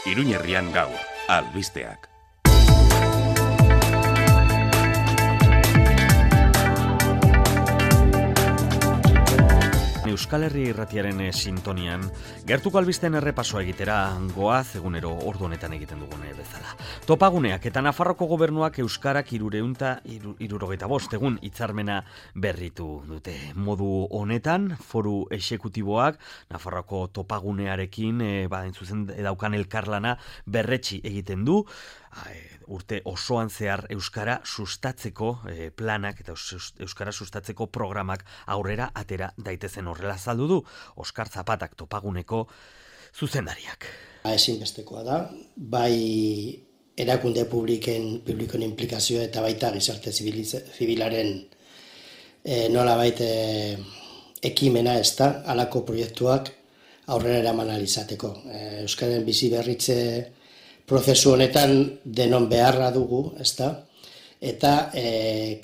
Iruñerrian gaur, albisteak. Euskal Herria Irratiaren sintonian, gertuko albisteen errepasoa egitera goaz egunero ordu honetan egiten dugune bezala. Topaguneak eta Nafarroko gobernuak euskarak 375 egun hitzarmena berritu dute. Modu honetan, foru exekutiboak Nafarroko topagunearekin zuzen daukan elkarlana berretsi egiten du, urte osoan zehar euskara sustatzeko planak eta euskara sustatzeko programak aurrera atera daitezen horrela azaldu du Oskar Zapatak topaguneko zuzendariak. Ezinbestekoa da, bai erakunde publikoen implikazioa eta baita gizarte zibilaren nolabait ekimena ez da, halako proiektuak aurrera eraman ahal izateko. Euskaren bizi berritze prozesu honetan denon beharra dugu, ezta? Eta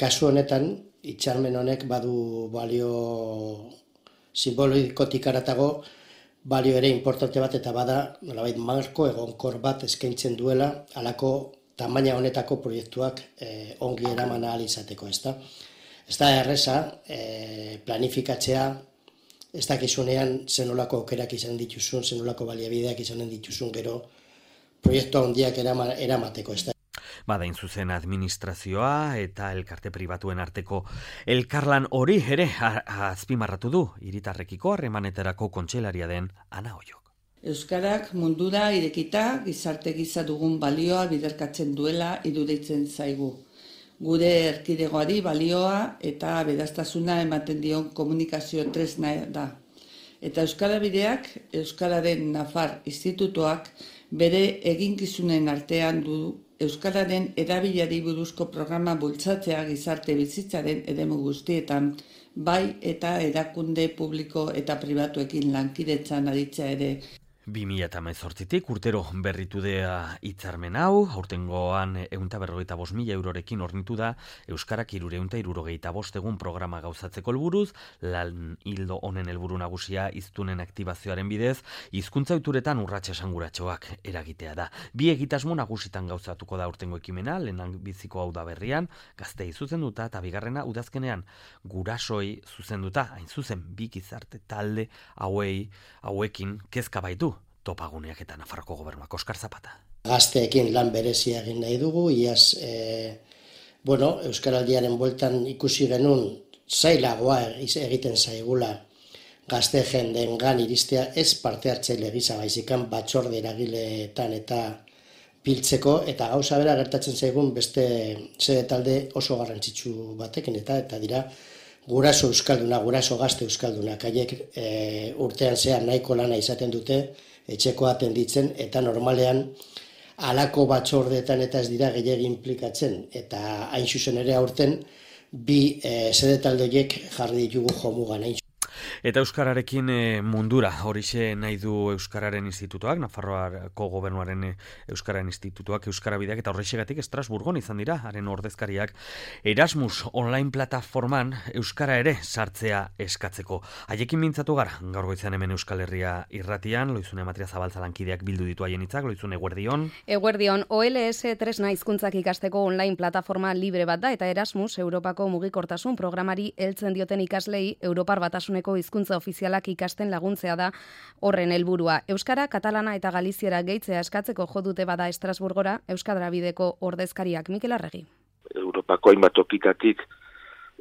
kasu honetan hitzarmen honek badu balio simbolikotik haratago balio ere importante bat eta bada nolabait marko egonkor bat eskaintzen duela halako tamaina honetako proiektuak ongi eraman ahal izateko, ezta? Ez da erreza planifikatzea, ez dakizunean zenolako aukerak izan dituzun, zenolako baliabideak izanen dituzun gero proiektu handiak eramateko, ez da. Badain zuzen administrazioa eta elkarte pribatuen arteko elkarlan hori ere azpimarratu du hiritarrekiko harremanetarako kontseilaria den Ana Oiok. Euskarak mundura irekita gizarte gisa dugun balioa biderkatzen duela iruditzen zaigu. Gure erkidegoari balioa eta beraztasuna ematen dion komunikazio tresna da. Eta Euskarabideak, Euskararen Nafar Institutuak bere eginkizunen artean du Euskararen erabilari buruzko programa bultzatzea gizarte bizitzaren eremu guztietan, bai eta erakunde publiko eta pribatuekin lankidetzan aritzea ere. 2018tik urtero berritu dea hitzarmen hau, aurtengoan 155.000 eurorekin hornitu da Euskarak 375 egun programa gauzatzeko helburuz, lan hildo honen helburu nagusia hiztunen aktibazioaren bidez, hizkuntza ohituretan urrats esanguratsuak eragitea da. Bi egitasmo nagusitan gauzatuko da aurtengo ekimena, lehenak biziko hau da berrian, gazteei zuzenduta eta bigarrena udazkenean gurasoi zuzenduta, hain zuzen bi gizarte talde hauekin kezka baitu topaguneak eta Nafarroko gobernuak. Oskar Zapata. Gazteekin lan berezia egin nahi dugu, iaz Euskaraldiaren bueltan ikusi genuen zailagoa egiten zaigula gazte jendeengan iristea ez parte hartzaile gisa baizikan batzorde eragileetan eta biltzeko eta gauza bera gertatzen zaigun beste sede talde oso garrantzitsu batekin eta dira guraso euskalduna, guraso gazte euskaldunak, haiek urtean zehar nahiko lana izaten dute, etxekoa atenditzen, eta normalean halako batzordeetan eta ez dira gehiegi implikatzen, eta hain zuzen ere aurten bi sede talde horiek jarri ditugu jomugan. Eta Euskararekin mundura, horixe nahi du Euskararen Institutuak, Nafarroako gobernuaren Euskararen Institutuak, Euskarabideak, eta horrexegatik Estrasburgon izan dira, haren ordezkariak Erasmus online plataforman Euskara ere sartzea eskatzeko. Haiekin mintzatu gara, gaur goizean hemen Euskal Herria Irratian, Loizune Matria Zabaltza lankideak bildu ditu haien hitzak, Loizune eguerdion. Eguerdion, OLS tresna hizkuntzak ikasteko online plataforma libre bat da, eta Erasmus, Europako mugikortasun programari heltzen dioten ikaslei Europar Batasuneko hizkuntza ofizialak ikasten laguntzea da horren helburua. Euskara, katalana eta galiziera gehitzea eskatzeko jo dute bada Estrasburgora Euskarabideko ordezkariak. Mikel Arregi. Europako hainbat tokitatik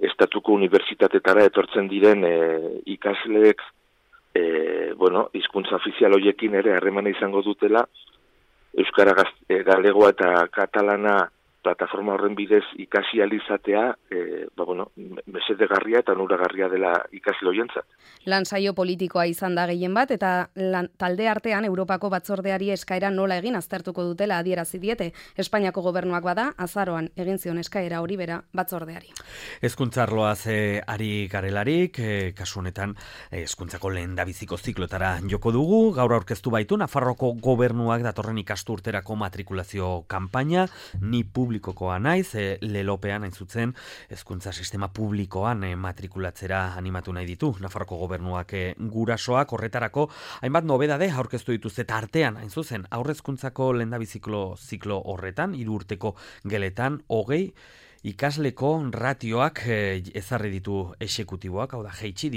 estatuko unibertsitatetara etortzen diren ikasleek hizkuntza ofizial horiekin ere harremana izango dutela Euskara, galegoa eta katalana plataforma horren bidez ikasi alizatea, mesedegarria eta onuragarria dela ikasle horientzat. Lan saio politikoa izan da gehien bat, eta talde artean Europako batzordeari eskaera nola egin aztertuko dutela adierazi diete. Espainiako gobernuak bada, azaroan egin zion eskaera hori bera batzordeari. Hezkuntza arloaz ari garelarik, kasu honetan hezkuntzako lehendabiziko ziklotara joko dugu, gaur aurkeztu baitu Nafarroko gobernuak datorren ikasturterako matrikulazio kanpaina, ni publikokoa naiz, lelopean hain zuzen, hezkuntza sistema publikoan matrikulatzera animatu nahi ditu. Nafarroko gobernuak gurasoak horretarako hainbat nobedade aurkeztu dituzte eta artean, hain zuzen, aurrezkuntzako lehendabiziklo ziklo horretan, 3 urteko geletan, 20 ikasleko ratioak ezarri ditu exekutiboak, hau da, jaitsi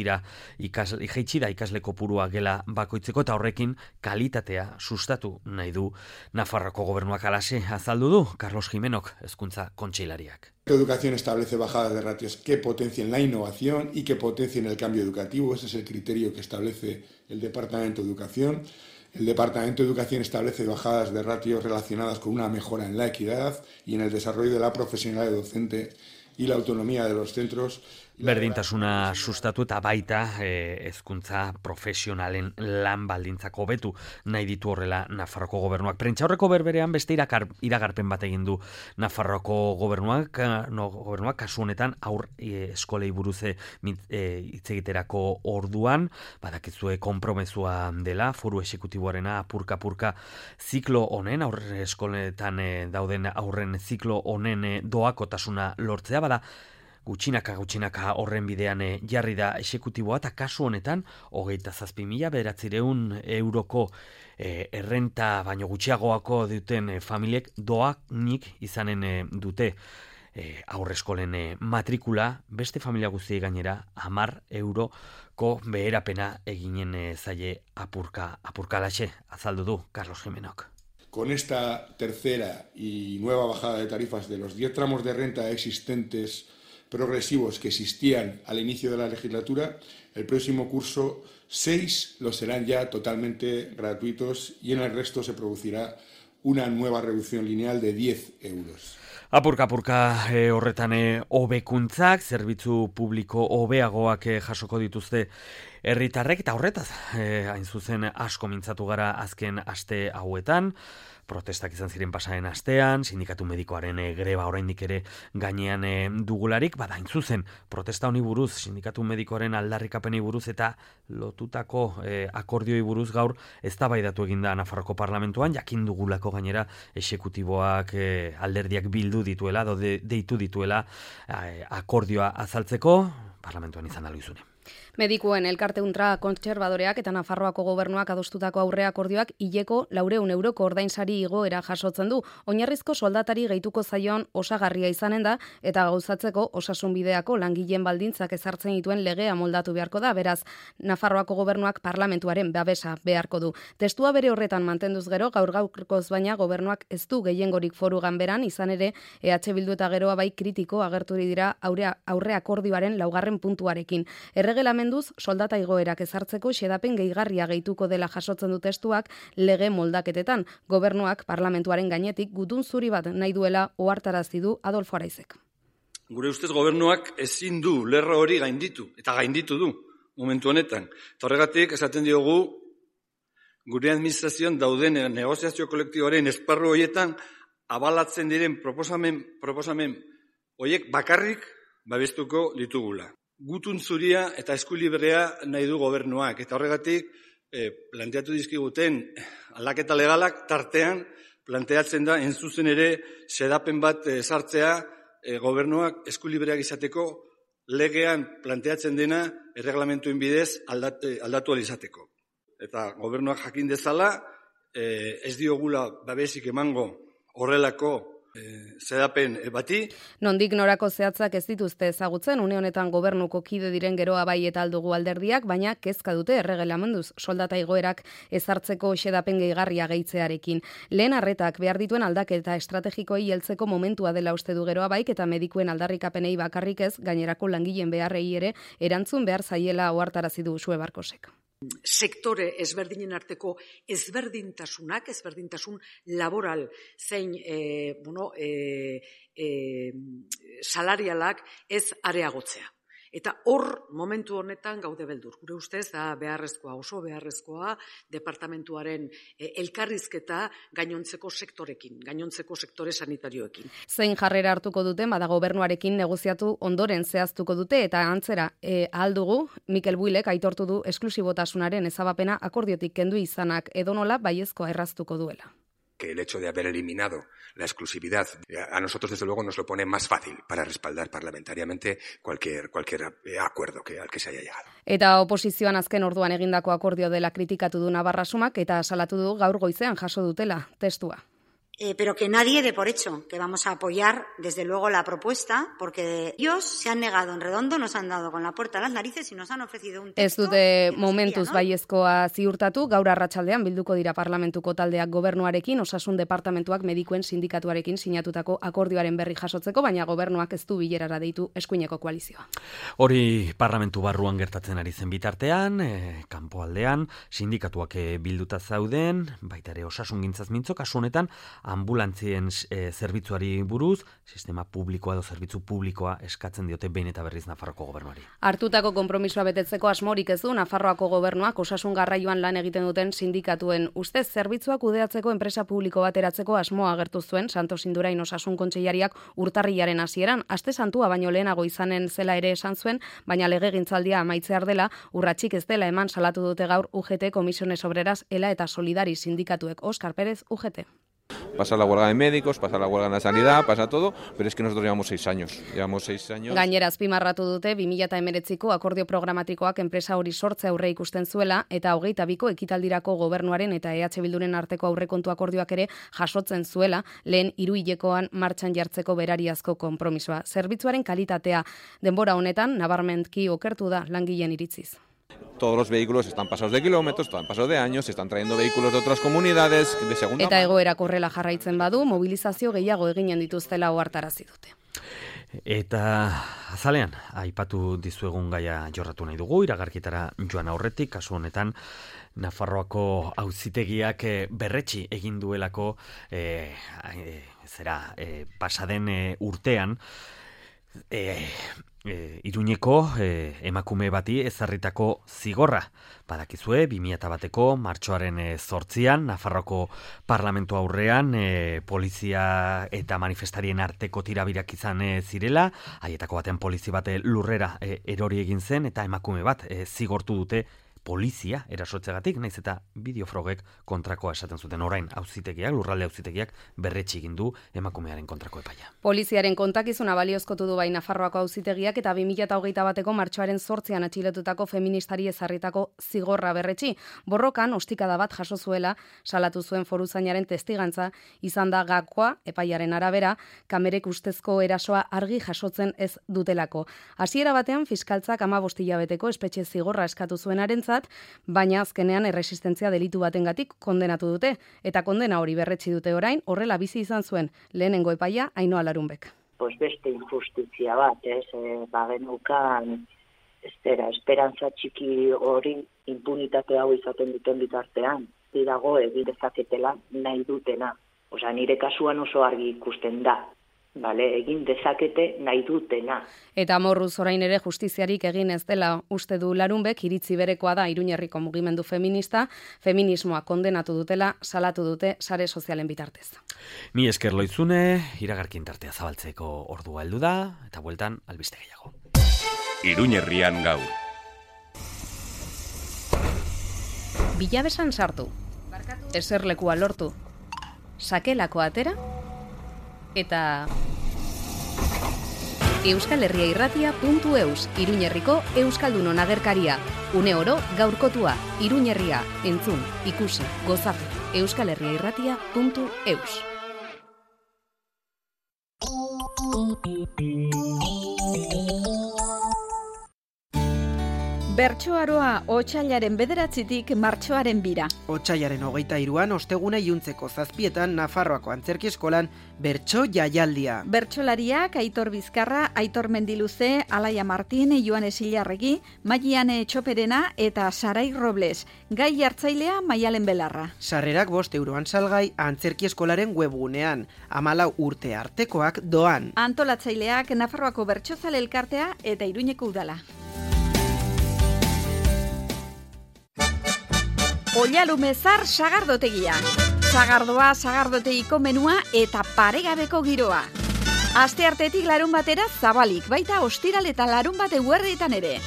da ikasleko purua gela bakoitzeko eta horrekin kalitatea sustatu nahi du Nafarroko gobernuak. Halaxe azaldu du Carlos Jimenok, hezkuntza kontseilariak. La educación establece bajadas de ratios que potencien la innovación y que potencien el cambio educativo. Ese es el criterio que establece el Departamento de Educación. El Departamento de Educación establece bajadas de ratios relacionadas con una mejora en la equidad y en el desarrollo de la profesionalidad docente y la autonomía de los centros. Berdintasuna sustatu eta baita hezkuntza profesionalen lan baldintzak hobetu nahi ditu horrela Nafarroko gobernuak. Prentsaurreko berberean beste iragarpen bat egin du Nafarroko gobernuak kasu honetan aur eskolei buruz hitz egiterako orduan, badakizue konpromezua dela foru exekutiboarena apurka ziklo honen, aur eskoletan dauden aurren ziklo honen doakotasuna lortzea, bada gutxinaka horren bidean jarri da exekutiboa eta kasu honetan 27.900 euroko errenta baino gutxiagoako duten familiek doanik izanen dute aurreskolen matrikula, beste familia guztiei gainera 10 euroko beherapena eginen zaie apurkalaxe, azaldu du Carlos Jimenok. Con esta tercera y nueva bajada de tarifas de los 10 tramos de renta existentes progresivos que existían al inicio de la legislatura, el próximo curso 6 lo serán ya totalmente gratuitos y en el resto se producirá una nueva reducción lineal de 10 euros. Apurka horretan hobekuntzak, zerbitzu publiko hobeagoak jasoko dituzte herritarrek eta horretaz hain zuzen asko mintzatu gara azken aste hauetan. Protestak izan ziren pasaren astean, sindikatu medikoaren greba oraindik ere gainean dugularik, bada hain zuzen protesta honi buruz, sindikatu medikoaren aldarrikapenei buruz eta lotutako akordioi buruz gaur eztabaidatu eginda Nafarroko parlamentuan, jakin dugulako gainera exekutiboak alderdiak bildu dituela, deitu dituela akordioa azaltzeko, parlamentuan izan aluzune. Medikuen elkarte ultra kontserbadoreak eta Nafarroako gobernuak adostutako aurre akordioak hileko 400 euroko ordainsari igoera jasotzen du. Oinarrizko soldatari gehituko zaion osagarria izanen da eta gauzatzeko osasunbideako langileen baldintzak ezartzen dituen legea moldatu beharko da. Beraz, Nafarroako gobernuak parlamentuaren babesa beharko du. Testua bere horretan mantenduz gero gaurkoz baina gobernuak ez du gehiengorik foru ganberan, izan ere EH Bildu eta Geroa bai kritiko agerturi dira aurre akordioaren 4. puntuarekin. Erregelamenduz soldata igoerak ezartzeko xedapen gehigarria gehituko dela jasotzen du testuak lege moldaketetan. Gobernuak parlamentuaren gainetik gutun zuri bat nahi duela ohartarazi du Adolfo Araizek. Gure ustez gobernuak ezin du lerro hori gainditu, eta gainditu du momentu honetan. Eta horregatik esaten diogu gure administrazioan dauden negoziazio kolektiboaren esparru horietan abalatzen diren proposamen horiek bakarrik babestuko ditugula. Gutun zuria eta eskulibrea nahi du gobernuak, eta horregatik planteatu dizkiguten aldaketa legalak tartean planteatzen da zuzen ere xedapen bat sartzea gobernuak eskulibreak izateko legean planteatzen dena erreglamentuen bidez aldatu izateko. Eta gobernuak jakin dezala ez diogula babesik emango horrelako zedapen bati. Nondik norako zehatzak ez dituzte ezagutzen, une honetan gobernuko kide diren Geroa bai eta Aldugu alderdiak, baina kezka dute erregelamenduz soldata igoerak ezartzeko xedapen gehigarria gehitzearekin. Lehen arretak behar dituen aldaketa estrategikoei heltzeko momentua dela uste du Geroa baik eta medikuen aldarrikapenei bakarrik ez, gainerako langileen beharrei ere erantzun behar zaiela ohartarazi du Sue Barkosek. Sektore ezberdinen arteko ezberdintasun laboral zein salarialak ez areagotzea. Eta hor, momentu honetan gaude beldur. Gure ustez, da beharrezkoa, oso beharrezkoa, departamentuaren elkarrizketa gainontzeko sektorekin, gainontzeko sektore sanitarioekin. Zein jarrera hartuko duten, bada gobernuarekin negoziatu ondoren zehaztuko dute, eta antzera ahal dugu, Mikel Builek aitortu du esklusibotasunaren ezabapena akordiotik kendu izanak edonola baiezkoa erraztuko duela. que el hecho de haber eliminado la exclusividad a nosotros desde luego nos lo pone más fácil para respaldar parlamentariamente cualquier acuerdo al que se haya llegado. Eta oposizioan azken orduan egindako akordio dela kritikatu du Navarrasumak eta salatu du gaur goizean jaso dutela testua. Pero que nadie dé por hecho que vamos a apoyar desde luego la propuesta, porque ellos se han negado en redondo, nos han dado con la puerta a las narices y nos han ofrecido un texto. Ez dute momentuz baiezkoa ziurtatu, gaur arratsaldean bilduko dira parlamentuko taldeak gobernuarekin, osasun departamentuak medikuen sindikatuarekin sinatutako akordioaren berri jasotzeko, baina gobernuak ez du bilerara deitu eskuineko koalizioa. Hori parlamentu barruan gertatzen ari zen bitartean, kanpoaldean, sindikatuak bilduta zauden, baita ere osasungintzaz mintzo, kasu honetan, ambulantzien zerbitzuari buruz, sistema publikoa edo zerbitzu publikoa eskatzen diote behin eta berriz Nafarroako gobernuari. Hartutako konpromisoa betetzeko asmorik ez du Nafarroako gobernuak osasun garraioan lan egiten duten sindikatuen ustez zerbitzua kudeatzeko enpresa publiko bat eratzeko asmoa agertu zuen Santos Indurain osasun kontseilariak urtarrilaren hasieran, aste santua baino lehenago izanen zela ere esan zuen, baina legegintzaldia amaitzear dela, urratsik ez dela eman salatu dute gaur UGT, Comisiones Obreras, ELA eta Solidari sindikatuek. Óscar Pérez, UGT. Pasa la huelga de médicos, pasa la huelga en la sanidad, pasa todo, pero es que nosotros llevamos 6 años. Gainera azpimarratu dute 2019ko akordio programatikoak enpresa hori sortze aurre ikusten zuela eta 22ko ekitaldirako gobernuaren eta EH Bilduren arteko aurrekontu akordioak ere jasotzen zuela lehen 3 hilekoan martxan jartzeko berariazko konpromisoa. Zerbitzuaren kalitatea denbora honetan nabarmenki okertu da langileen iritziz. Todos los vehículos están pasados de kilómetros, están pasados de años, se están trayendo vehículos de otras comunidades de segunda mano. Eta egoerak horrela jarraitzen badu, mobilizazio gehiago eginen dituztela ohartarazi dute. Eta azalean, aipatu dizuegun gaia jorratu nahi dugu, iragarkitara joan aurretik, kasu honetan, Nafarroako auzitegiak berretsi egin duelako pasaden urtean, Iruñeko emakume bati ezarritako zigorra. Badakizue, 2001ko martxoaren 8an, Nafarroako parlamentu aurrean polizia eta manifestarien arteko tirabirak izan zirela, haietako batean polizi bat lurrera erori egin zen eta emakume bat zigortu dute polizia erasotzegatik, naiz eta bideofrogek kontrakoa esaten zuten. Orain auzitegiak, lurralde auzitegiak berretsi egin du emakumearen kontrako epaia. Poliziaren kontakizuna baliozkotu du bai Nafarroako auzitegiak eta 2021ko martxoaren 8an atxiletutako feministari ezarritako zigorra berretsi. Borrokan ostikada bat jaso zuela salatu zuen foruzainaren testigantza izan da gakoa epaiaren arabera kamerek ustezko erasoa argi jasotzen ez dutelako. Hasiera batean fiskaltzak 15 hilabeteko espetxe zigorra eskatu zuenarentzat, baina azkenean erresistentzia delitu batengatik kondenatu dute, eta kondena hori berretsi dute orain, horrela bizi izan zuen lehenengo epaia Ainhoa Larunbek. Pues beste injustizia bat, bagenukan esperantza txiki hori impunitate hau izaten duten bitartean, dago egin dezaketela nahi dutena. Osea, nire kasuan oso argi ikusten da. Egin dezakete nahi dutena. Eta amorruz orain ere justiziarik egin ez dela uste du Larunbek, iritzi berekoa da Iruñerriko mugimendu feminista, feminismoa kondenatu dutela, salatu dute sare sozialen bitartez. Mi esker Loizune, iragarkin tartea zabaltzeko ordua heldu da, eta bueltan albiste gehiago. Iruñerrian gaur. Bilabesan sartu, eserlekua lortu, sakelako atera, eta euskalherriairratia.eus, Iruñerriko Euskaldunon agerkaria. Une oro gaurkotua, Iruñerria, entzun, ikusi, gozatu, euskalherriairratia.eus. Bertsoaroa otsailaren 9tik martxoaren 2. Otsailaren 23an osteguna iluntzeko 7etan Nafarroako Antzerki Eskolan bertso jaialdia. Bertsolariak Aitor Bizkarra, Aitor Mendiluze, Alaia Martin, Joan Esilarregi, Maiane Txoperena eta Sarai Robles. Gai hartzailea Maialen Belarra. Sarrerak 5 euroan salgai Antzerki Eskolaren webgunean. 14 urte artekoak doan. Antolatzaileak Nafarroako Bertsozale Elkartea eta Iruñeko Udala. Oialumezar sagardotegia. Sagardoa, sagardotegiko menua eta paregabeko giroa. Asteartetik larun batera zabalik, baita ostiral eta larun bate eguerditan ere.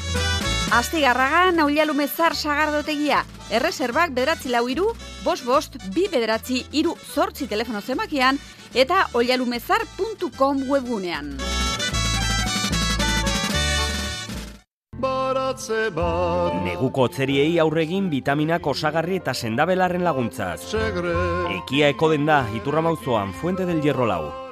Astigarragan Oialumezar sagardotegia, Erreserbak 943-559-2 telefono zemakian eta oialumezar.com webgunean. Neguko hotzeriei aurregin vitaminak osagarri eta sendabelarren laguntzaz. Ekia eko den da, Iturrama auzoan, Fuente del Hierro 4.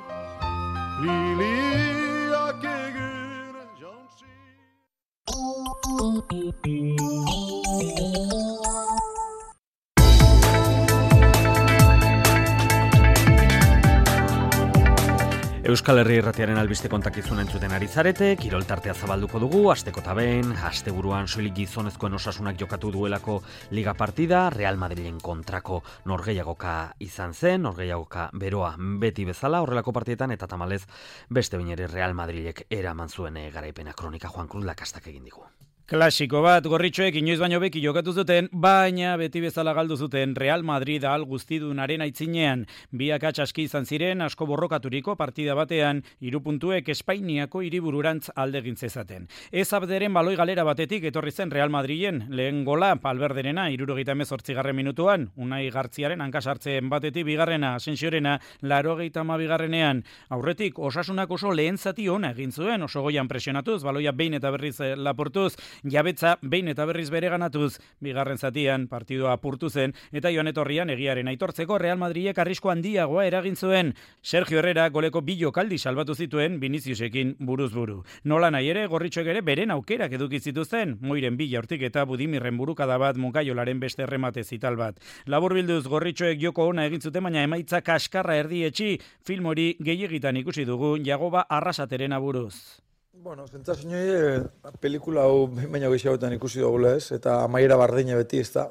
Euskal Herri Irratiaren albiste kontakizun entzuten ari zarete, kirol tartea zabalduko dugu, asteko taben, asteburuan soilik gizonezkoen osasunak jokatu duelako liga partida, Real Madrilen kontrako norgehiagoka izan zen, norgehiagoka beroa beti bezala, horrelako partietan, eta tamalez beste bain ere Real Madrilek eraman zuen garaipena. Kronika Juan Cruz Lakastak egin digu. Klasiko bat, gorritxoek inoiz baino beki jokatu zuten, baina beti bezala galdu zuten Real Madrid al guztidunaren aitzinean. Biak atxaski izan ziren, asko borrokaturiko partida batean, 3 puntuek Espainiako hiribururantz aldegin zezaten. Ez abderen baloi galera batetik etorri zen Real Madrilen, lehen gola Valverderena 78. minutuan, Unai Gartziaren hankasartzen batetik bigarrena, Asensiorena 82. Aurretik Osasunak oso lehen zati ona egin zuen, oso goian presionatuz, baloia behin eta berriz laportuz, jabetza behin eta berriz bereganatuz, bigarren zatian partidua apurtu zen, eta joan etorrian egiaren aitortzeko Real Madrilek arrisko handiagoa eragin zuen. Sergio Herrera goleko 2 jokaldi salbatu zituen Viniciusekin buruz buru. Nola nahi ere, gorritxoek ere beren aukerak eduki zituzten, Moiren 2 jaurtik eta Budimirren burukada bat, Mukaiolaren beste erremate zital bat. Laburbilduz gorritxoek joko ona egin zuten, baina emaitza kaskarra erdietxi, film hori gehiegitan ikusi dugu Jagoba Arrasaterena buruz. Bueno, zentzazionoi, pelikula hau baina gehiagoetan ikusi dugula ez, eta amaiera bardine beti ez da.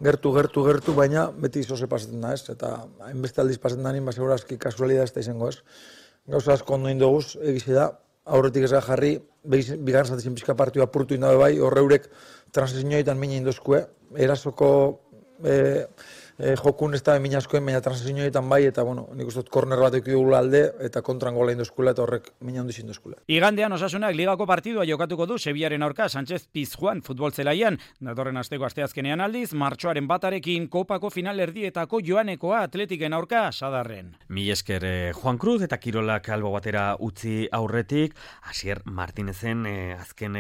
Gertu, baina beti zoze pasatzen da ez, eta hainbeste aldiz pasatzen da nien, segurazki kasualidad ez da izango ez. Gauza asko ondo indoguz, egize da, aurretik ez jarri, bigarren zatizien pizka partioa apurtu indabe bai, horreurek transizioetan mina indozkue, erasoko jokun ez da mina askoen, baina transizioetan bai, eta bueno, nik uste dut korner bat ekidugula alde, eta kontran gola indozkula, eta horrek mina ondizin dozkula. Igandean Osasunak ligako partidua jokatuko du Sevillaren aurka Sánchez Pizjuan futbol zelaian, datorren asteko asteazkenean aldiz, martxoaren 1 kopako final erdietako joanekoa Atletiken aurka Sadarren. Mil esker Juan Cruz eta kirolak albo batera utzi aurretik, Asier Martinezen azken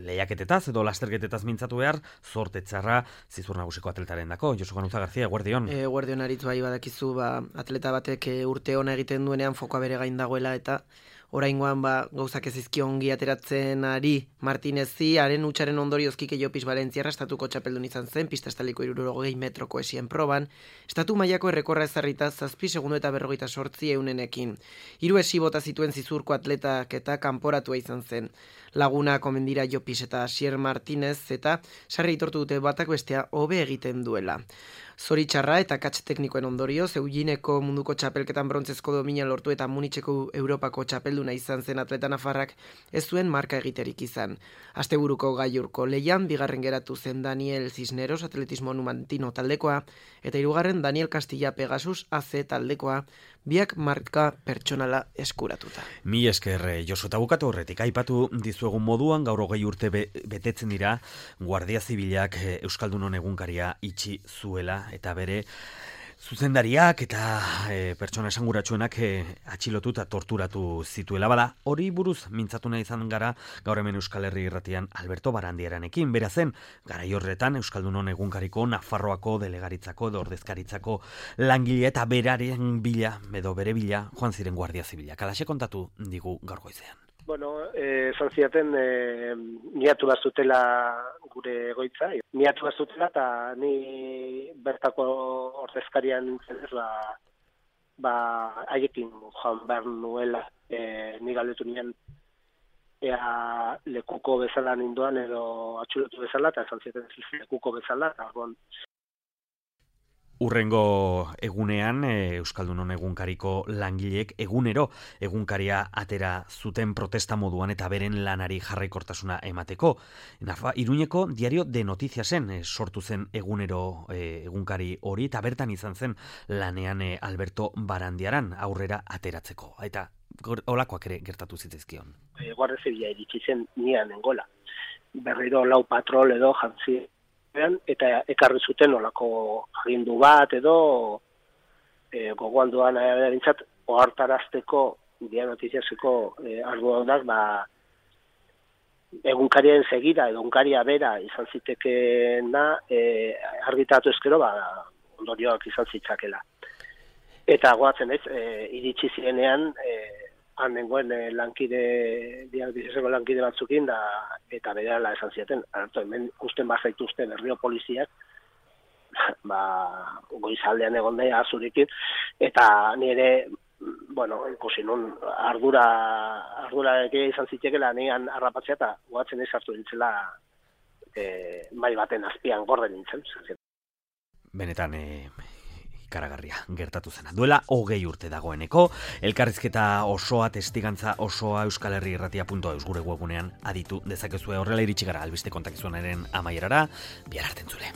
lehiaketetaz edo lasterketetaz mintzatu behar, zorte txarra Zizur Nagusiko atletaren dako. Josu Ganuza Garzia, eguerdion. Eguerdion aritz bai badakizu, atleta batek urte ona egiten duenean fokoa bere gain dagoela eta oraingoan gauzak ez izki ongi ateratzen ari Martinezi, haren hutsaren ondorioz Kike Llopis Valentziarra estatuko txapeldun izan zen, pista estaliko 60 metroko esien proban, estatu mailako errekorra ezarrita 7 segundo eta 58 eunenekin. 3 esi bota zituen Zizurko atletak eta kanporatua izan zen. Laguna komendira Llopis eta Asier Martinez eta sarri itortu dute batak bestea hobe egiten duela. Zoritxarra eta katx teknikoen ondorioz, Eugineko munduko txapelketan brontzezko domina lortu eta Munitzeko Europako txapelduna izan zen atleta nafarrak ez zuen marka egiterik izan. Asteburuko gailurko leian, bigarren geratu zen Daniel Cisneros atletismo numantino taldekoa, eta 3. Daniel Castilla Pegasus AC taldekoa, biak marka pertsonala eskuratuta. Mil esker Josu, eta bukatu horretik, aipatu dizuegun moduan, gaur 20 urte betetzen dira, Guardia Zibilak Euskaldunon egunkaria itxi zuela, eta bere zuzendariak eta pertsona esanguratsuenak atxilotu eta torturatu zituela. Bada, hori buruz mintzatu nahi izan gara gaur hemen Euskal Herri Irratian Alberto Barandiaranekin. Bera zen, garai horretan Euskaldunon egunkariko Nafarroako delegaritzako edo ordezkaritzako langile eta beraren bila, edo bere bila, joan ziren Guardia Zibilak. Alaxe kontatu digu gaur goizean. Bueno, esan ziaten miatu bazutela gure egoitza. Miatu bazutela eta ni bertako ordezkarian nintzen ez, haiekin joan behar nuela. Ni galdetu nien ea lekuko bezala ninduan edo atxilotu bezala, eta esan ziaten lekuko bezala, eta Urrengo egunean, Euskaldunon egunkariko langileek egunero egunkaria atera zuten protesta moduan eta beren lanari jarraikortasuna emateko. Iruñeko Diario de Noticiasen sortu zen egunero egunkari hori, eta bertan izan zen lanean Alberto Barandiaran aurrera ateratzeko. Eta holakoak ere gertatu zitzaizkion. Guardia Zibila iritsi zen nian engola. Berriro 4 patrol edo jantzi eta ekarri zuten olako agindu bat edo gogoan duan erintzat ohartarazteko Dia Notiziaseko arduadunak egunkarien segida edo egunkaria bera izan zitekeena argitatu ezkero ondorioak izan zitzakela. Eta goatzen ez, iritsi zirenean han nengoen Dia Notiziaseko lankide batzukin eta berehala esan zieten. Hemen ikusten bazaituzten herrio poliziak goizaldean egon da azurikin eta nire ikusi nun ardura izan zitekela nean harrapatzea eta goatzen ez hartu dintzela mai baten azpian gorde nintzen. Benetan ikaragarria gertatu zena. Duela 20 urte dagoeneko, elkarrizketa osoa, testigantza osoa euskalherriirratia.eus gure webunean aditu dezakezue. Horrela iritsi gara albiste kontakizunaren amaierara, bihar arte entzule.